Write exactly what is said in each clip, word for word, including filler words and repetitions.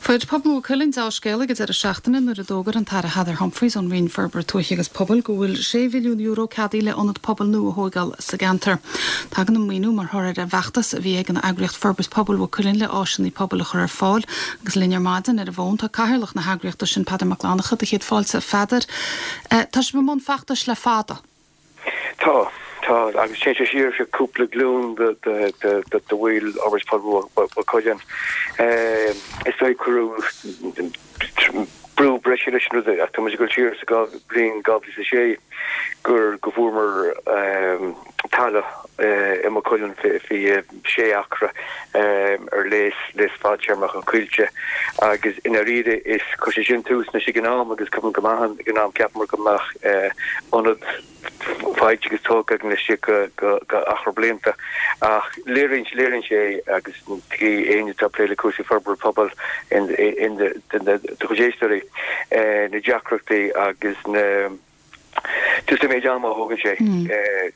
Fuair pobal Mhaigh Cuilinn dea-scéala ag an deireadh seachtaine nuair a d'fhógair an tAire Heather Humphreys ón Roinn Forbartha Tuaithe agus Pobail go bhfuil sé mhilliún euro ceadaithe le ionad pobail nua a thógáil sa gceantar. Tagann an maoiniú mar thoradh ar an bhfeachtas a bhí ag an eagraíocht Forbairt Pobail Mhaigh Cuilinn le áiseanna pobail a chur ar fáil agus linn ar maidin ar an bhfón tá cathaoirleach na heagraíochta sin Peadar Mac Fhlannchadha do chéad fáilte Pheadair. Tá sibh i mbun feachtais le fada. Tá tá agus sé siar sé cúpla glúin de bhfuil Fhorbairt Pobail Mhaigh Cuilinn. Is é cuireadh brú breise leis an rud ach tá muid ag dul siar sa bhliain dhá mhíle is a sé gur go bhfuaireamar talamh i Maigh Cuilinn faoi sé acra ar léas léas fadtéarmach ó Coillte agus i ndáiríre is chuir sé sin tús leis ag an am agus cuimhin go maith ag an am cheapamar go mbeadh ionad faighte agus tógtha againn laistigh de achar blianta ach léiríonn léiríonn sé agus éinne atá ag plé le cúrsaí forbartha pobail in in de chuid éisteoirí na deacrachtaí agus na just an méid ama a thógann sé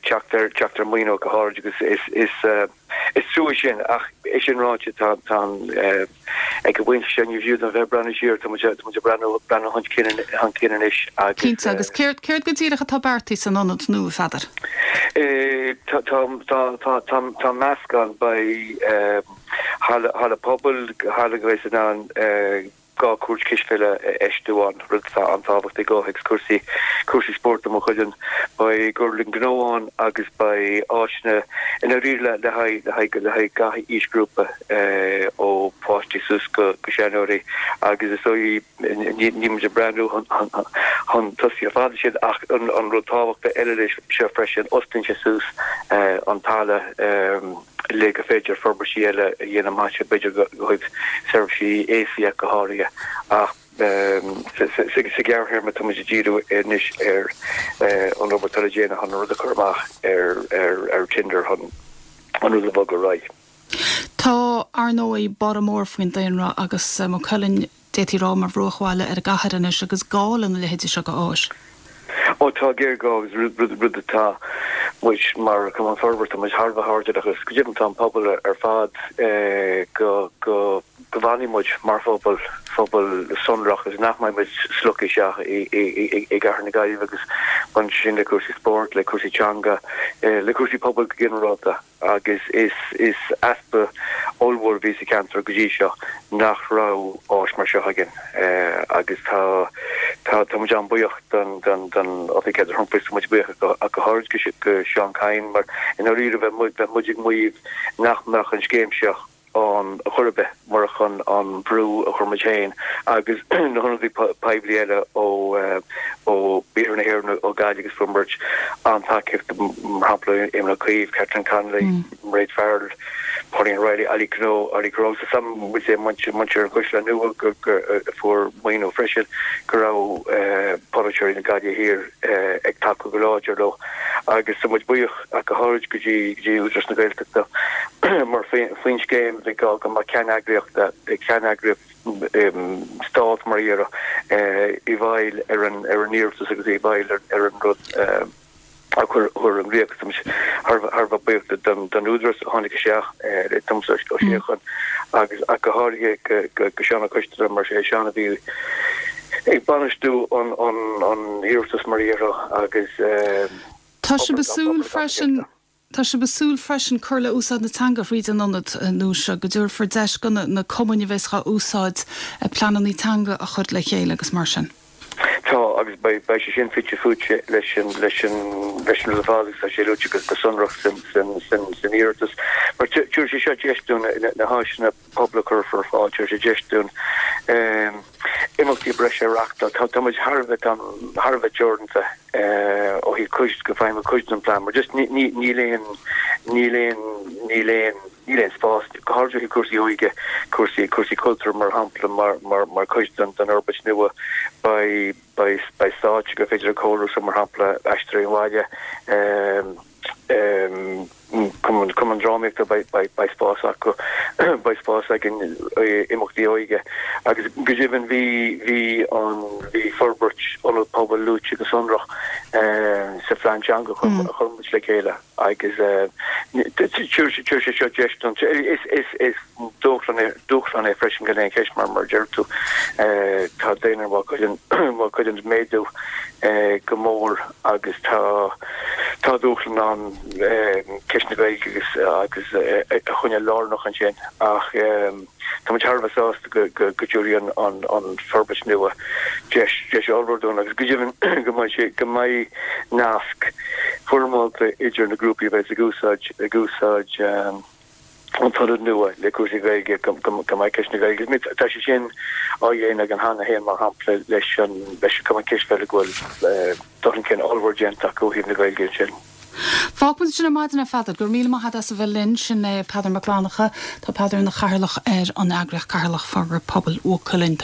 teacht ar teacht ar maoiniú go háirid agus is is is trua sin ach é sin ráite tá tá ag an bpointe seo ní fiú don bheith breathnú siar tá muid tá muid ag breathnú breathnú chun cinn chun cinn anois agus Cinnte agus céard céard go díreach atá beartaithe san ionad nua Pheadair. Tá tá tá tá tá tá meascán beidh halla halla pobail halla go bhfuil in ann dhá chúirt cispheile a fheistiú ann rud atá an-tábhachtach i gcomhthéacs cúrsaí cúrsaí spóirt i Maigh Cuilinn beidh gorlann gnó ann agus beidh áiseanna i ndáiríre le le haghaidh le haghaidh le haghaidh gach aoisghrúpa ó pháistí suas go go seanóirí agus is dóigh níl muid ag breathnú chun tosaigh ar fad sin ach an an rud tábhachtach eile leis seo freisin osclaíonn sé suas an talamh le go féidir forbairtí eile a dhéanamh amach b'fhéidir go chuig seirbhísí aosaigh go háirithe ach sa ghearrthéarma tá muid ag díriú anois ar an obair atá le déanamh chun an rud a chur amach ar ar ar tender chun an rud a bhogadh ar aghaidh. Tá ar ndóigh borradh mór faoin daonra agus Maigh Cuilinn d'fhéadfaí rá mar bhruachbhaile ar an gcathair anois agus gá lena leithéidí seo de áis. Ó tá géarghá agus rud rud rud atá muid mar Chumann Forbartha muid thar a bheith airdeallach agus go deimhin tá an pobal ar fad go go go bhfanfaidh muid mar phobal phobal sonrach agus nach mbeidh muid slogtha isteach i i i i gcathair na Gaillimhe agus baineann sin le cúrsaí spóirt, le cúrsaí teanga, le cúrsaí pobail go ginearálta agus is is easpa ollmhór a bhí sa cheantar go dtí seo nach raibh áis mar seo againn agus tá tá tá muid an-bhuíoch don don don Oifig Heather Humphreys tá muid buíoch go go háirid go go Seán Kyne mar i ndáiríre bheadh muid bheadh muid ag maíomh nach mbeadh an scéim seo ann chor ar bith murach an an brú a chuir muid féin agus na hionadaithe poiblí eile ó ó Iarthar na hÉireann ó Gaillimh agus fuair muid an-tacaíocht mar shampla Éamon Ó Cuív, Catherine Connolly, Mairéad Farrell, Pauline O'Reilly, Ollie Kehoe, Ollie Kehoe so muid é muintir muintir an Chaisleáin Nua go go a fuair maoiniú freisin go raibh polaiteoirí na Gaillimhe Thiar ag tacú go láidir leo agus tá muid buíoch ach go háirid go dtí go dtí Údarás na Gaeltachta mar faoin scéim bhí gá go mbeadh ceanneagraíocht ceanneagraíocht stát mar a déarfá i bhfeighil ar an ar an iarratas agus i bhfeighil ar ar an rud a chur chur i gcrích agus thar thar a bheith buíoch don don údarás a tháinig isteach le Tomás Ó Síocháin agus ach go háirithe go go go Seán Ó Coistealbha mar sé Seán a bhí ag bainistiú an an an iarratas mar a déarfá agus Tá sibh ag súil freisin Tá sibh ag súil freisin cur le úsáid na teanga thríd an ionad nua seo go dtabharfar deis do na cumainn a bheas á úsáid pleananna teanga a chur le chéile agus mar sin. Tá agus beidh beidh sé sin fite fuaite leis an leis an leis an rud ar fad agus tá sé luaite go go sonrach san san san san iarratas. Mar tabharfaidh sé seo deis dúinn na na háiseanna pobail a chur ar fáil, tabharfaidh sé deis dúinn imeachtaí breise a reáchtáil. Tá tá muid thar a bheith thar a bheith teoranta ó thaobh cuid de feidhmiú cuid den plean, mar just ní ní níl aon níl aon níl aon níl aon spás go háirithe ó thaobh cúrsaí óige, cúrsaí cúrsaí cultúir mar shampla mar mar mar chuid den den fhorbairt nua beidh beidh beidh stáitse gur féidir a chóiriú so mar shampla Aisteoirí an Bhaile Cumann Cumann Drámaíochta beidh spás acu beidh spás ag imeachtaí óige agus go deimhin bhí bhí an bhí forbairt ionad pobail luaite go sonrach sa phlean teanga a chuir muid le chéile agus tabharfaidh sé seo deis don is is is dúshlán é dúshlán é freisin gan aon cheist mar mar deir tú tá daonra Mhaigh Cuilinn ag méadú go mór agus tá tá dúshlán ann ceist na Gaeilge agus agus a choinneáil lárnach ansin ach tá muid thar a bheith sásta go go go dtabharfaidh an an forbairt nua deis deis ollmhór dúinn agus go deimhin go mbeidh sé go mbeidh nasc foirmeálta idir na grúpaí a bheidh ag úsáid ag úsáid an t-ionad nua le cúrsaí Gaeilge go mbeidh ceist na Gaeilge. Tá sé sin á dhéanamh againn cheana féin mar shampla leis an leis an Cumann Cispheile go bhfuil dul chun cinn ollmhór déanta acu ó thaobh na Gaeilge ansin. Fágfaidh muid sin ar maidin a Pheadair, go raibh míle maith agat as a bheith linn sin é Peadar Mac Fhlannchadha, Tá Peadar ina chathaoirleach ar an eagraíocht Ceatharlach Forbartha Pobail Mhaigh Cuilinn.